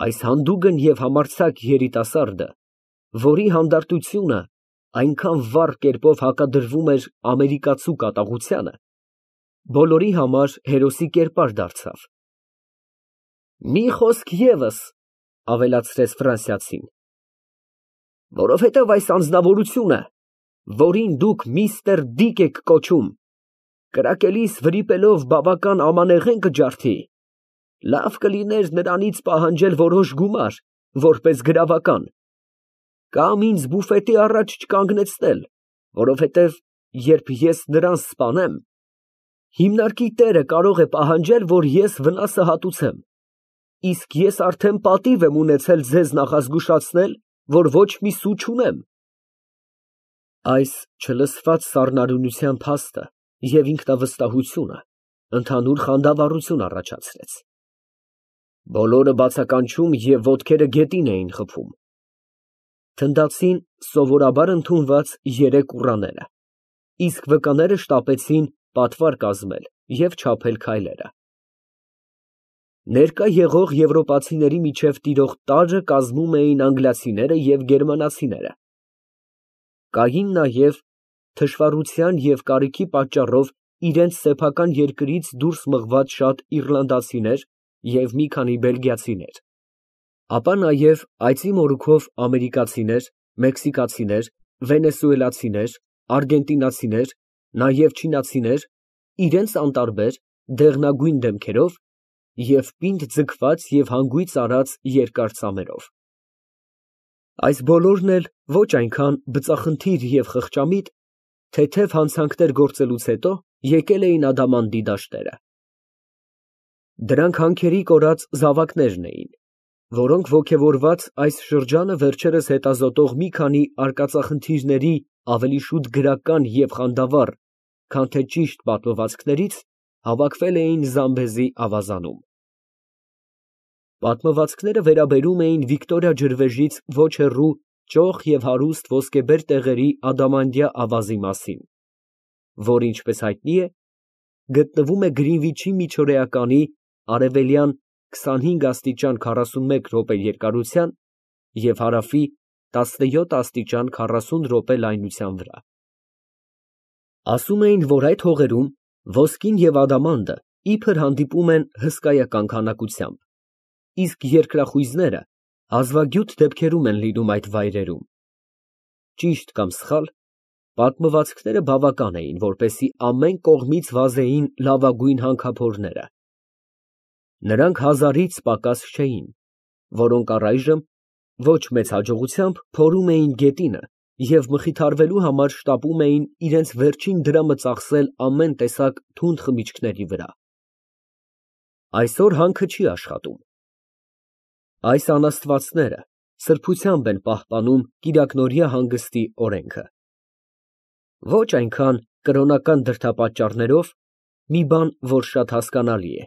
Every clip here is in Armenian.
Այս հանդուգն և համարձակ երիտասարդը, որի հանդարտությունը այնքան վառ կերպով հակադրվում էր ամերիկացու կատաղությանը, բոլորի համար հերոսի կերպար դարձավ։ ֊ Մի խոսք ևս, ֊ ավելացրեց ֆրանսիացին, ֊ որովհետև այս անձնավորությունը, որին դուք միստր Դիկ եք կոչում, կրակելիս վրիպելով բավական ամանեղեն կջարդի, լավ կլիներ նրանից պահանջել որոշ գումար, որպես գրավական, կամ ինձ բուֆետի առաջ չկանգնեցնել, որովհետև երբ ես նրան սպանեմ, հիմնարկի տերը կարող է պահանջել, որ ես վնասը հատուցեմ, իսկ ես արդեն պատիվ եմ ունեցել ձեզ նախազգուշացնել, որ ոչ մի սու չունեմ։ Այս չլսված սառնարյունության փաստը և ինքնավստահությունը ընդհանուր խանդավառություն առաջացրեց։ Բոլորը բացականչում և ոտքերը գետին էին խփում։ Թնդացին սովորաբար ընդունված երեք ուռաները, իսկ վկաները շտապեցին պատվար կազմել և չափել քայլերը։ Ներկա եղող եվրոպացիների միջև տիրող տարրը կազմում էին անգլիացիները և գերմանացիները։ Կային նաև թշվառության և կարիքի պատճառով իրենց սեփական երկրից դուրս մղված շատ իռլանդացիներ և մի քանի բելգիացիներ, ապա նաև այծի մորուքով ամերիկացիներ, մեքսիկացիներ, վենեսուելացիներ, արգենտինացիներ, նաև չինացիներ, իրենց անտարբեր, դեղնագույն դեմքերով և պինդ ձգված և հանգույց արած երկար ծամերով։ Այս բոլորն էլ ոչ այնքան բծախնդիր և խղճամիտ, թեթև հանցանքներ գործելուց հետո եկել էին ադամանդի դաշտերը։ Դրանք հանքերի կորած զավակներն էին, որոնք ոգևորված այս շրջանը վերջերս հետազոտող մի քանի արկածախնդիրների ավելի շուտ գրական և խանդավառ, քան թե ճիշտ պատմվածքներից, հավաքվել էին Զամբեզի ավազանում։ Պատմվածքները վերաբերում էին Վիկտորիա ջրվեժից ոչ հեռու ճոխ և հարուստ ոսկեբեր տեղերի ադամանդյա ավազի մասին, որը, ինչպես հայտնի է, գտնվում է Գրինվիչի միջօրեականի արևելյան 25 աստիճան 41 րոպե երկարության և հարավի 17 աստիճան 40 րոպե լայնության վրա։ Ասում էին, որ այդ հողերում ոսկին և ադամանդը իբր հանդիպում են հսկայական քանակությամբ, իսկ երկրախույզները հազվագյուտ դեպքերում են լինում այդ վայրերում։ Ճիշտ կամ սխալ, պատմվածքները բավական էին, որպեսզի ամեն կողմից վազեին լավագույն հանքափորները։ Նրանք հազարից պակաս չէին, որոնք առայժմ ոչ մեծ հաջողությամբ փորում էին գետինը և մխիթարվելու համար շտապում էին իրենց վերջին դրամը ծախսել ամեն տեսակ թունդ խմիչքների վրա։ Այսօր հանքը չի աշխատում։ Այս անաստվածները սրբությամբ են պահպանում կիրակնօրյա հանգստի օրենքը։ Ոչ այնքան կրոնական դրդապատճառներով, մի բան, որ շատ հասկանալի է,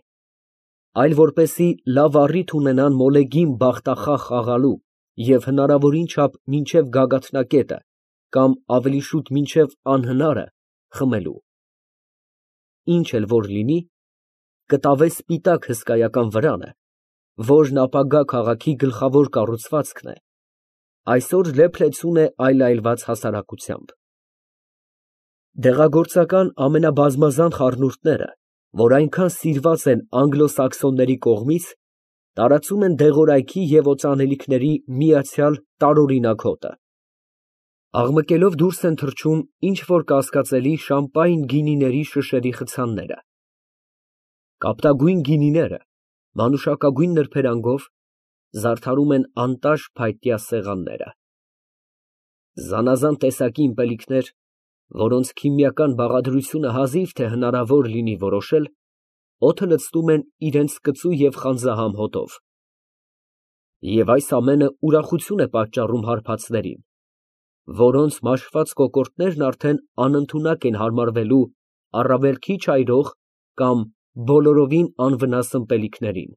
այլ որպեսզի լավ առիթ ունենան մոլեգին բախտախաղ խաղալու և հնարավորին չափ մինչև գագաթնակետը կամ ավելի շուտ մինչև անհնարը խմելու։ Ինչ էլ որ լինի, կտավե սպիտակ հսկայական վրանը, որն ապագա քաղաքի գլխավոր կառուցվածքն է, այսօր լեփ֊լեցուն է այլայլված հասարակությամբ։ Դեղագործական ամենաբազմազան խառնուրդները, որ այնքան սիրված են անգլո֊սաքսոնների կողմից, տարածում են դեղորայքի և օծանելիքների միացյալ տարօրինակ հոտը։ Աղմկելով դուրս են թռչում ինչ֊որ կասկածելի շամպայն գինիների շշերի խցանները։ Կապտագույն գինիները, մանուշակագույն նրբերանգով, զարդարում են անտաշ փայտյա սեղանները։ Զանազան տեսակի ըմպելիքներ, որոնց քիմիական բաղադրությունը հազիվ թե հնարավոր լինի որոշել, օդը լցնում են իրենց կծու և խանձահամ հոտով։ Եվ այս ամենը ուրախություն է պատճառում հարբածներին, որոնց մաշված կոկորդներն արդեն անընդունակ են հարմարվելու առավել քիչ այրող կամ բոլորովին անվնաս ըմպելիքներին։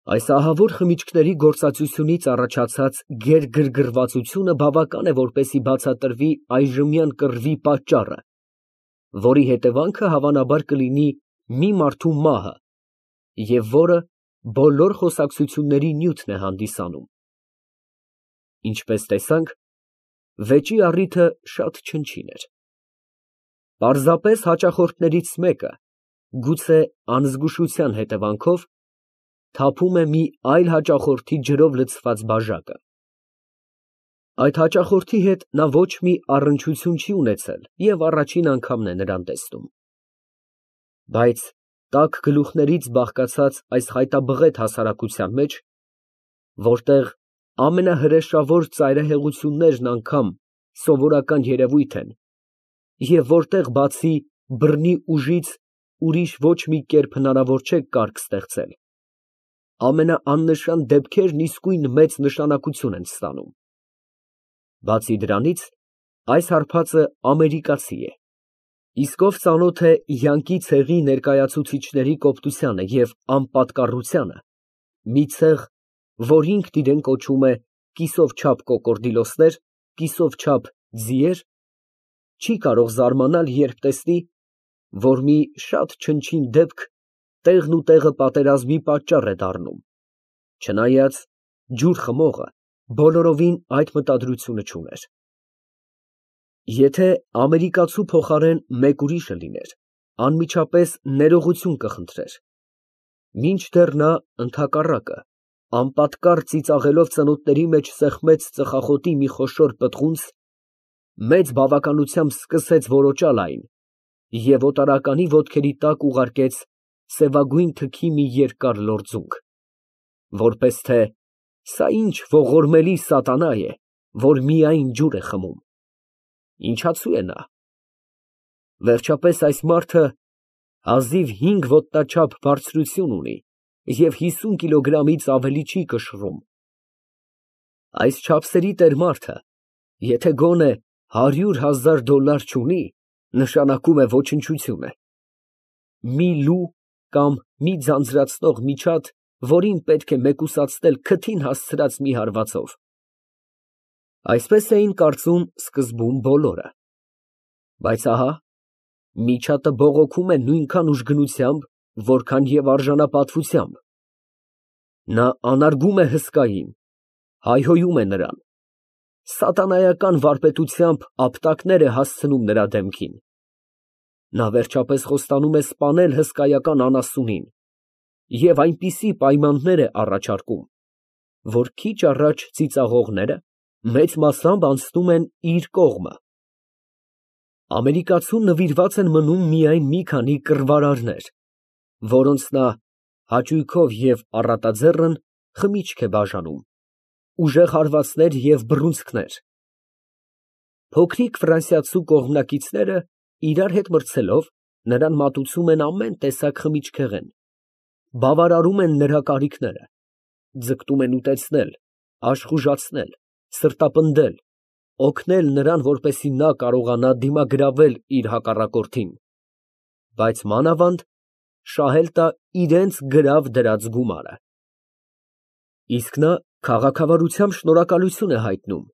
Այս ահավոր խմիչքների գործածությունից առաջացած գերգրգռվածությունը բավական է, որպեսզի բացատրվի այժմյան կռվի պատճառը, որի հետևանքը հավանաբար կլինի մի մարդու մահը և որը բոլոր խոսակցությունների նյութն է հանդիսանում։ Ինչպես տեսանք, վեճի առիթը շատ չնչին էր։ Պարզապես հաճախորդներից մեկը, գուցե անզգուշության հետևանքով, թափում է մի այլ հաճախորդի ջրով լցված բաժակը։ Այդ հաճախորդի հետ նա ոչ մի առնչություն չի ունեցել և առաջին անգամն է նրան տեսնում։ Բայց տաք գլուխներից բաղկացած այս խայտաբղետ հասարակության մեջ, որտեղ ամենահրեշավոր ծայրահեղություններն անգամ սովորական երևույթ են, և որտեղ բացի բռնի ուժից ուրիշ ոչ մի կերպ հնարավոր չէ կարգ ստեղծել, ամենաաննշան դեպքերն իսկույն մեծ նշանակություն են ստանում։ Բացի դրանից, այս հարբածը ամերիկացի է, իսկ ով ծանոթ է յանքի ցեղի ներկայացուցիչների կոպտությանը և անպատկառությանը, մի ցեղ, որ ինքն իրեն կոչում է կիսով չափ կոկորդիլոսներ, կիսով չափ ձիեր, չի կարող զարմանալ, երբ տեսնի, որ մի շատ չնչին դեպք տեղն ու տեղը պատերազմի պատճառ է դառնում, չնայած ջուր խմողը բոլորովին այդ մտադրությունը չուներ։ Եթե ամերիկացու փոխարեն մեկ ուրիշը լիներ, անմիջապես ներողություն կխնդրեր, մինչդեռ նա, ընդհակառակը, անպատկառ ծիծաղելով ծնոտների մեջ սեղմեց ծխախոտի մի խոշոր պտղունց, մեծ բավականությամբ սկսեց որոճալ այն և օտարականի ոտքերի տակ ուղարկեց սևագույն թքի մի երկար լորձունք, որպես թե սա ինչ ողորմելի սատանա է, որ միայն ջուր է խմում։ Ինչացու է նա։ Վերջապես այս մարդը հազիվ 5 ոտնաչափ բարձրություն ունի և 50 կիլոգրամից ավելի չի կշռում։ Այս չափսերի տեր մարդը, եթե գոնե $100,000 չունի, նշանակում է ոչնչություն է։ Մի լու կամ մի ձանձրացնող միջատ, որին պետք է մեկուսացնել քթին հասցրած մի հարվածով։ Այսպես էին կարծում սկզբում բոլորը։ Բայց ահա, միջատը բողոքում է նույնքան ուժգնությամբ, որքան և արժանապատվությամբ։ Նա անարգում է հսկային, հայհոյում է նրան, սատանայական վարպետությամբ ապտակներ է հասցնում նրա դեմքին։ Նա վերջապես խոստանում է սպանել հսկայական անասունին և այնպիսի պայմաններ է առաջարկում, որ քիչ առաջ ծիծաղողները մեծ մասամբ անցնում են իր կողմը։ Ամերիկացուն նվիրված են մնում միայն մի քանի կռվարարներ, որոնց նա հաճույքով և առատաձեռն խմիչք է բաժանում, ուժեղ հարվածներ և բռունցքներ։ Փոքրիկ ֆրանսիացու կողմնակիցները, իրար հետ մրցելով, նրան մատուցում են ամեն տեսակ խմիչքեղեն, բավարարում են նրա կարիքները, ձգտում են ուտեցնել, աշխուժացնել, սրտապնդել, օգնել նրան, որպեսզի նա կարողանա դիմագրավել իր հակառակորդին, բայց մանավանդ շահել տա իրենց գրավ դրած գումարը։ Իսկ նա քաղաքավարությամբ շնորհակալություն է հայտնում,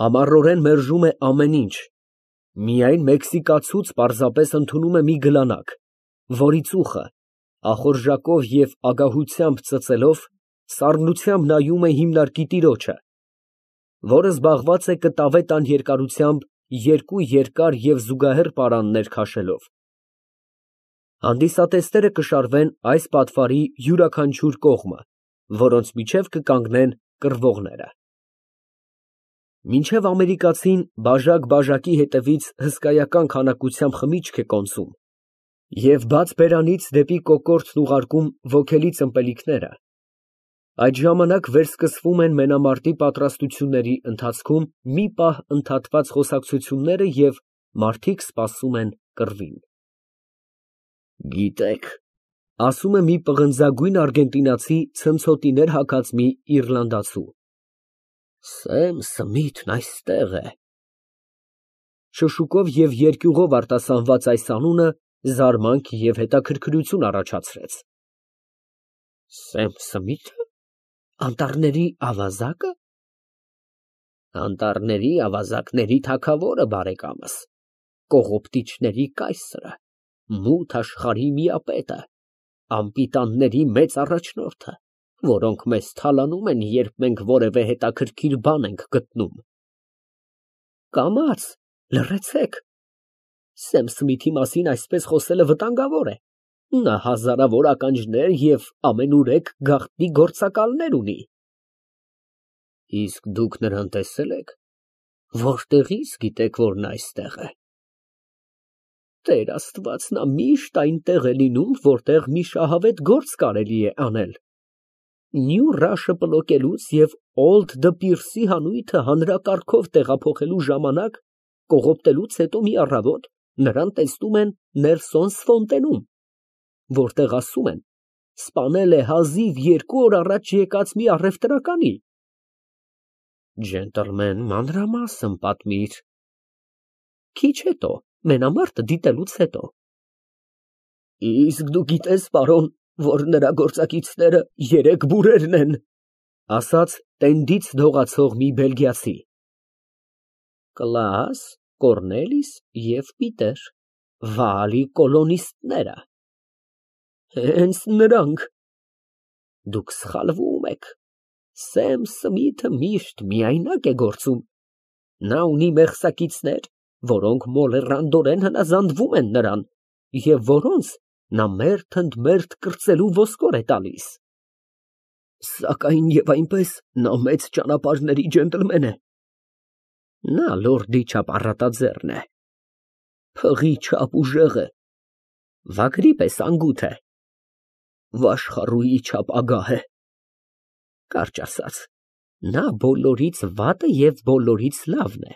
համառորեն մերժում է ամեն ինչ, միայն մեքսիկացուց պարզապես ընդունում է մի գլանակ, որի ծուխը ախորժակով և ագահությամբ ծծելով, սառնությամբ նայում է հիմնարկի տիրոջը, որը զբաղված է կտավե տան երկարությամբ երկու երկար և զուգահեռ պարաններ քաշելով։ Հանդիսատեսները կշարվեն այս պատվարի յուրաքանչյուր կողմը, որոնց միջև կկանգնեն կռվողները։ Մինչև ամերիկացին բաժակ֊բաժակի հետևից հսկայական քանակությամբ խմիչք է կոնսում և բաց բերանից դեպի կոկորդն ուղարկում ոգելի ըմպելիքները, այդ ժամանակ վերսկսվում են մենամարտի պատրաստությունների ընթացքում մի պահ ընդհատված խոսակցությունները և մարդիկ սպասում են կռվին։ Գիտեք, ասում է մի պղնձագույն արգենտինացի ցնցոտիներ հագած մի իռլանդացու, Սեմ Սմիթն այստեղ է։ Շշուկով և երկյուղով արտասանված այս անունը զարմանք և հետաքրքրություն առաջացրեց։ Սեմ Սմիթը, անտառների ավազա՞կը։ Անտառների ավազակների թագավորը, բարեկամս, կողոպտիչների կայսրը, մութ աշխարհի միապետը, անպիտանների մեծ առաջնորդը։ որոնք մեզ թալանում են, երբ մենք որևէ հետաքրքիր բան ենք գտնում։ Կամաց, լռեցեք։ Սեմ Սմիթի մասին այսպես խոսելը վտանգավոր է։ Նա հազարավոր ականջներ և ամենուրեք գաղտնի գործակալներ ունի։ Իսկ դուք նրան տեսե՞լ եք։ Որտեղից գիտեք, որ նա այստեղ է։ Տեր Աստված, նա միշտ այնտեղ է լինում, որտեղ մի շահավետ գործ կարելի է անել։ Նյու Ռաշը պլոկելուց և Օլդ Դպիրսի հանույթը հանրակարգով տեղափոխելու ժամանակ, կողոպտելուց հետո մի առավոտ նրան տեսնում են Նելսոն Սֆոնտենում, որտեղ ասում են, սպանել է հազիվ 2 օր առաջ եկած մի առևտրականի։ Ջենտլմեն, մանրամասն պատմիր։ Քիչ հետո, մենամարտը դիտելուց հետո։ Իսկ դու գիտես, պարոն, որ նրա գործակիցները 3 բուրերն են, ասաց տենդից դողացող մի բելգիացի։ Կլաս, Կորնելիս և Պիտեր, վալի կոլոնիստները։ Հենց նրանք։ Դուք սխալվում եք։ Սեմ Սմիթը միշտ միայնակ է գործում։ Նա ունի մեղսակիցներ, որոնք մոլեռանդորեն հնազանդվում են նրան, և որոնց նա մերթ ընդ մերթ կրծելու ոսկոր է տալիս։ Սակայն և այնպես նա մեծ ճանապարհների ջենտլմեն է։ Նա լորդի չափ առատաձեռն է, փղի չափ ուժեղ է, վագրի պես անգութ է, վաշխառուի չափ ագահ է։ Կարճ ասած, նա բոլորից վատը և բոլորից լավն է։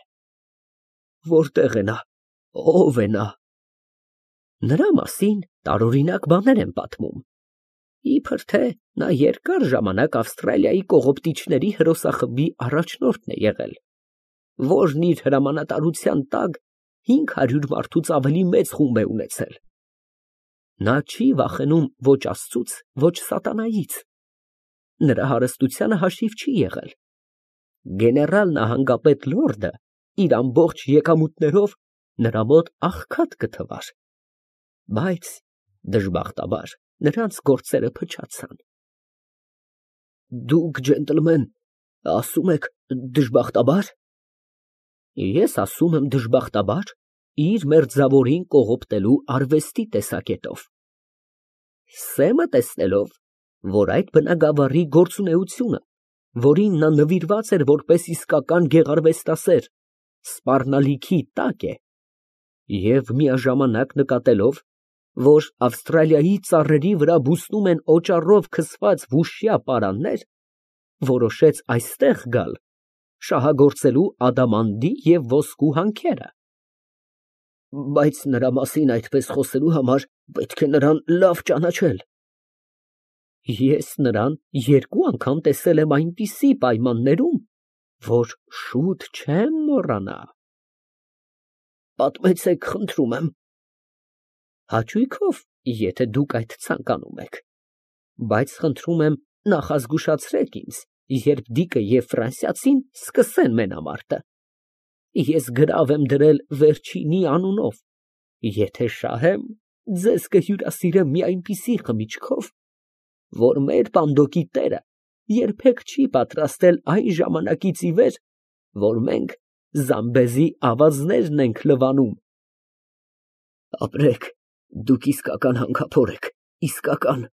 Որտե՞ղ է նա, ո՞վ է նա։ Նրա մասին տարօրինակ բաներ են պատմում։ Իբր թե նա երկար ժամանակ Ավստրալիայի կողոպտիչների հրոսախմբի առաջնորդն է եղել, որն իր հրամանատարության տակ 500 մարդուց ավելի մեծ խումբ է ունեցել։ Նա չի վախենում ոչ Աստծուց, ոչ սատանայից։ Նրա հարստությանը հաշիվ չի եղել։ Գեներալ նահանգապետ լորդը իր ամբողջ եկամուտներով նրա մոտ աղքատ կթվար։ Բայց, դժբախտաբար, նրանց գործերը փչացան։ Դուք, ջենտլմեն, ասում եք դժբախտաբար։ Ես ասում եմ դժբախտաբար իր մերձավորին կողոպտելու արվեստի տեսակետով։ Սեմը տեսնելով, որ այդ բնագավառի գործունեությունը, որին նա նվիրված էր որպես իսկական գեղարվեստասեր, սպառնալիքի տակ է, և միաժամանակ նկատելով, որ Ավստրալիայի ծառերի վրա բուսնում են օճառով քսված վուշյա պարաններ, որոշեց այստեղ գալ, շահագործելու ադամանդի և ոսկու հանքերը։ Բայց նրա մասին այդպես խոսելու համար պետք է նրան լավ ճանաչել։ Ես նրան 2 անգամ տեսել եմ այնպիսի պայմաններում, որ շուտ չեմ մոռանա։ Պատմեցեք, խնդրում եմ։ Հաճույքով, եթե դուք այդ ցանկանում եք, բայց խնդրում եմ նախազգուշացրեք ինձ, երբ Դիկը և ֆրանսիացին սկսեն մենամարտը։ Ես գրավ եմ դրել վերջինի անունով, եթե շահեմ, ձեզ կհյուրասիրեմ մի այնպիսի խմիչքով, որ մեր պանդոկի տերը երբեք չի պատրաստել այն ժամանակից ի վեր, որ մենք Զամբեզի ավազներն ենք լվանում։ Ապրեք, դուք իսկական հանքափոր եք, իսկական։